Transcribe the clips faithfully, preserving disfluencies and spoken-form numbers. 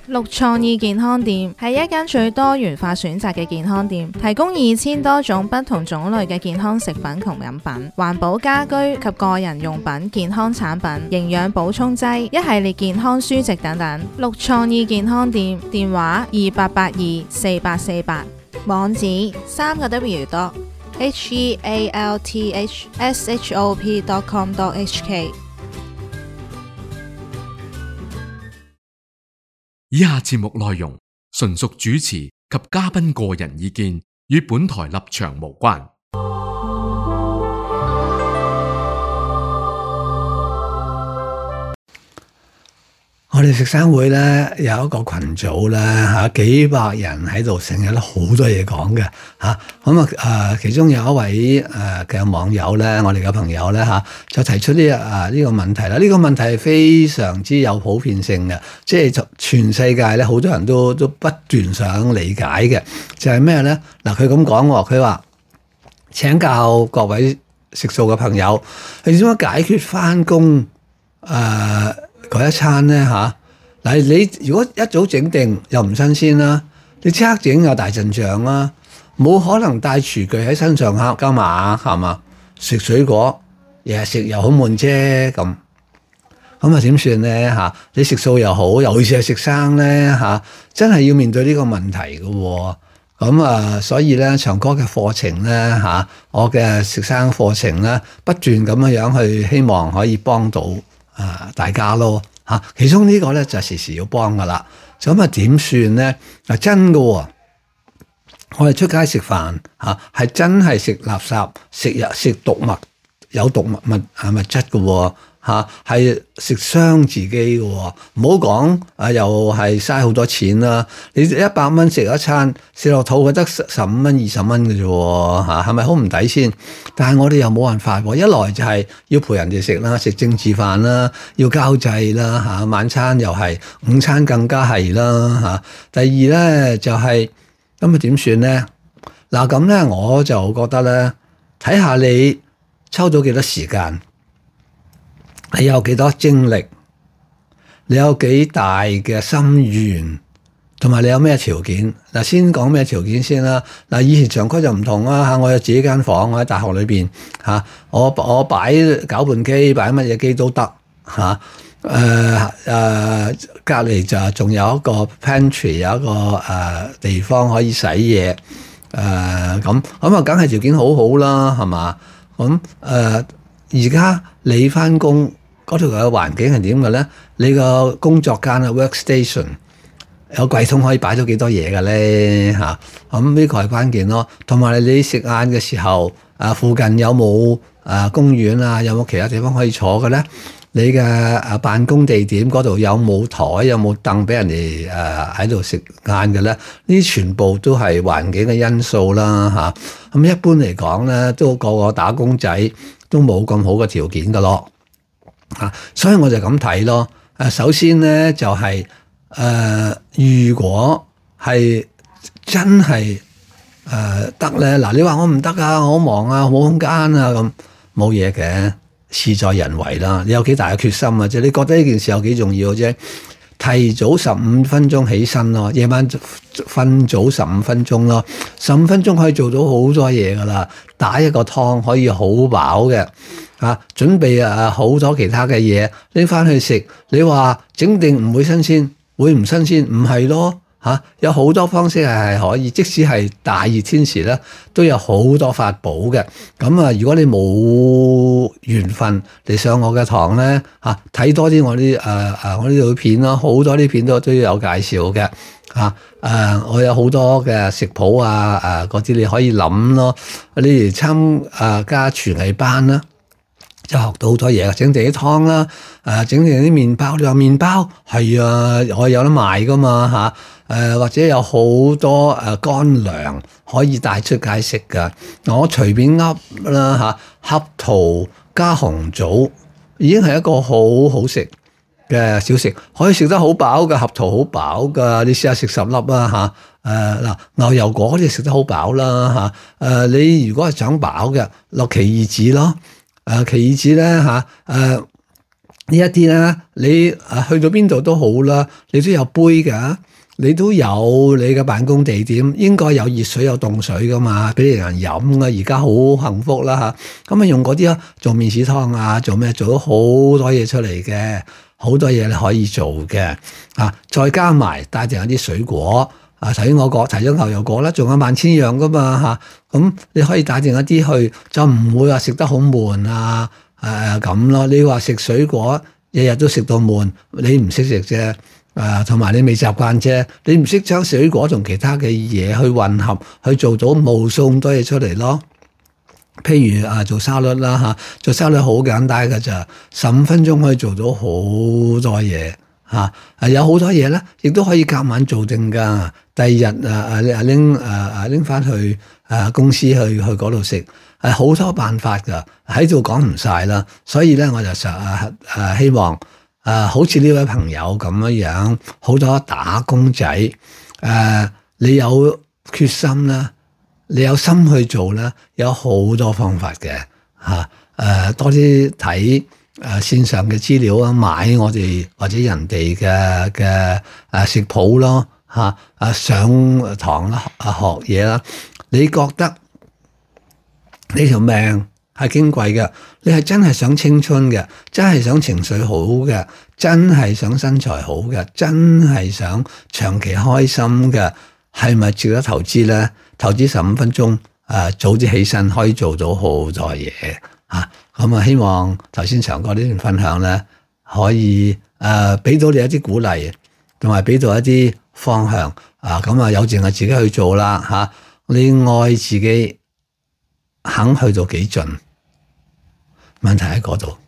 綠創意健康店係一間最多元化選擇嘅健康店，提供二千多種不同種類嘅健康食品同飲品、環保家居及個人用品、健康產品、營養補充劑、一系列健康書籍等等。綠創意健康店電話二八八二四八四八，網址三個 W dot H E A L T H S H O P dot com dot H K。以下節目內容純屬主持及嘉賓個人意見，與本台立場無關。我哋食生會咧有一個群組咧嚇，幾百人喺度，成日都好多嘢講嘅嚇。咁啊誒，其中有一位誒嘅網友咧，我哋嘅朋友咧嚇，就提出呢啊呢個問題啦。呢個問題係非常之有普遍性嘅，即係全世界咧好多人都都不斷想理解嘅，就係咩咧？嗱，佢咁講喎，佢話請教各位食素嘅朋友，你點樣解決返工誒嗰一餐咧嚇？嗱，你如果一早整定又唔新鮮啦，你即刻整又大陣仗啦，冇可能帶廚具喺身上嚇㗎嘛，係嘛？食水果日日食又好悶啫咁，咁啊點算咧嚇？你食素又好，尤其是係食生咧嚇，真係要面對呢個問題嘅喎。咁啊，所以咧長哥嘅課程咧嚇，我嘅食生課程咧，不斷咁樣樣去希望可以幫到啊大家咯。嚇，其中呢個咧就時時要幫噶啦，咁啊點算咧？嗱真嘅喎，我哋出街食飯嚇，係真係食垃圾、食日食毒物、有毒物物啊物質嘅喎嚇，係食傷自己嘅喎。唔好講啊，又係嘥好多錢啦！你一百蚊食一餐，食落肚覺得十五蚊、二十蚊嘅啫喎嚇，係咪好唔抵先？但係我哋又冇辦法喎，一來就係要陪人哋食啦，食政治飯啦，要交際啦嚇，晚餐又係，午餐更加係啦嚇。第二咧就係咁啊點算咧？嗱咁咧我就覺得咧，睇下你抽到幾多時間。你有幾多精力？你有幾大嘅心願？同埋你有咩條件？嗱，先講咩條件先啦。嗱，以前長區就唔同啦嚇，我有自己間房，我喺大學裏邊嚇，我我擺攪拌機，擺乜嘢機都得嚇。誒誒，隔離就仲有一個 pantry， 有一個誒、呃、地方可以洗嘢。誒咁咁啊，梗係條件好好啦，係嘛？咁誒而家你翻工嗰條嘅環境係點嘅咧？你個工作間啊 workstation 有櫃桶可以擺咗幾多嘢嘅咧嚇？咁呢個係關鍵咯。同埋你食晏嘅時候，啊附近有冇啊公園啊？有冇其他地方可以坐嘅咧？你嘅啊辦公地點嗰度有冇台？有冇凳俾人哋誒喺度食晏嘅咧？呢啲全部都係環境嘅因素啦嚇。咁一般嚟講咧，都個個打工仔都冇咁好嘅條件嘅咯。啊，所以我就咁睇咯。誒，首先咧就係、是、誒、呃，如果係真係誒得咧，嗱、呃，你話我唔得啊，我好忙啊，冇空間啊，咁冇嘢嘅，事在人為啦。你有幾大嘅決心啊？即係你覺得呢件事有幾重要啫？提早十五分鐘起身咯，夜晚瞓早十五分鐘咯，十五分鐘可以做到好多嘢噶啦。打一個湯可以好飽嘅。啊！準備啊好多其他嘅嘢拎翻去食，你話整定唔會新鮮，會唔新鮮？唔係咯嚇，有好多方式係係可以，即使係大熱天時咧，都有好多法寶嘅。咁啊，如果你冇緣分嚟上我嘅堂咧嚇，睇多啲我啲誒誒我呢度片咯，好多啲片都都有介紹嘅嚇。誒、啊，我有好多嘅食譜啊誒嗰啲你可以諗咯，你嚟參誒加廚藝班啦。就學到好多嘢，整定啲湯啦，誒整定啲麵包。你話麵包係啊，我有得賣噶嘛嚇，誒、啊、或者有好多誒乾糧可以帶出街食噶。我隨便噏啦嚇，合桃加紅棗已經係一個好好食嘅小食，可以食得好飽嘅。合桃好飽噶，你試下食十粒啊嚇。誒嗱牛油果你食得好飽啦嚇。誒、啊、你如果係想飽嘅，落奇異子咯。誒、啊、奇異子咧嚇，誒、啊、呢一啲咧，你啊去到邊度都好啦，你都有杯㗎，你都有你嘅辦公地點，應該有熱水有凍水噶嘛，俾人飲啊！而家好幸福啦嚇，咁啊用嗰啲啊做麵豉湯啊，做咩做咗好多嘢出嚟嘅，好多嘢你可以做嘅啊！再加埋帶定一啲水果啊，頭先我講提咗牛油果啦，仲有萬千樣噶嘛嚇，咁、啊、你可以帶定一啲去，就唔會話食得好悶啊！誒咁咯，你話食水果日日都食到悶，你唔識食啫，誒同埋你未習慣啫，你唔識將水果同其他嘅嘢去混合，去做到無數咁多嘢出嚟咯。譬如啊，做沙律啦嚇，做沙律好簡單㗎咋，十五分鐘可以做到好多嘢嚇，啊有好多嘢咧，亦都可以夾晚做定㗎。第二日啊啊啊拎啊啊拎翻去啊公司去去嗰度食。係好多辦法㗎，喺度講唔晒啦，所以咧我就實誒誒希望誒、呃、好似呢位朋友咁樣樣，好多打工仔誒、呃，你有決心啦，你有心去做啦，有好多方法嘅嚇誒，多啲睇誒線上嘅資料啊，買我哋或者人哋嘅嘅誒食譜咯嚇誒上堂啦啊學嘢啦，你覺得？你條命係矜貴嘅，你係真係想青春嘅，真係想情緒好嘅，真係想身材好嘅，真係想長期開心嘅，係咪值得投資咧？投資十五分鐘，誒、呃、早啲起身可以做到好多嘢嚇。咁啊，希望頭先長哥呢段分享咧，可以誒俾、呃、到你一啲鼓勵，同埋俾到一啲方向啊。咁啊，有淨係自己去做啦嚇、啊，你愛自己。肯去到幾盡，問題喺嗰度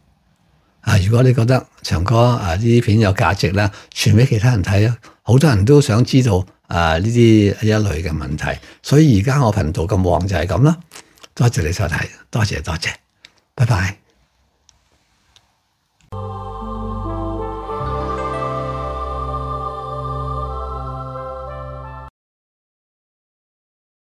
啊！如果你覺得長哥啊呢啲片有價值咧，傳俾其他人睇啊，好多人都想知道啊呢啲一類嘅問題，所以而家我頻道咁旺就係咁啦。多謝你收睇，多謝多謝，拜拜。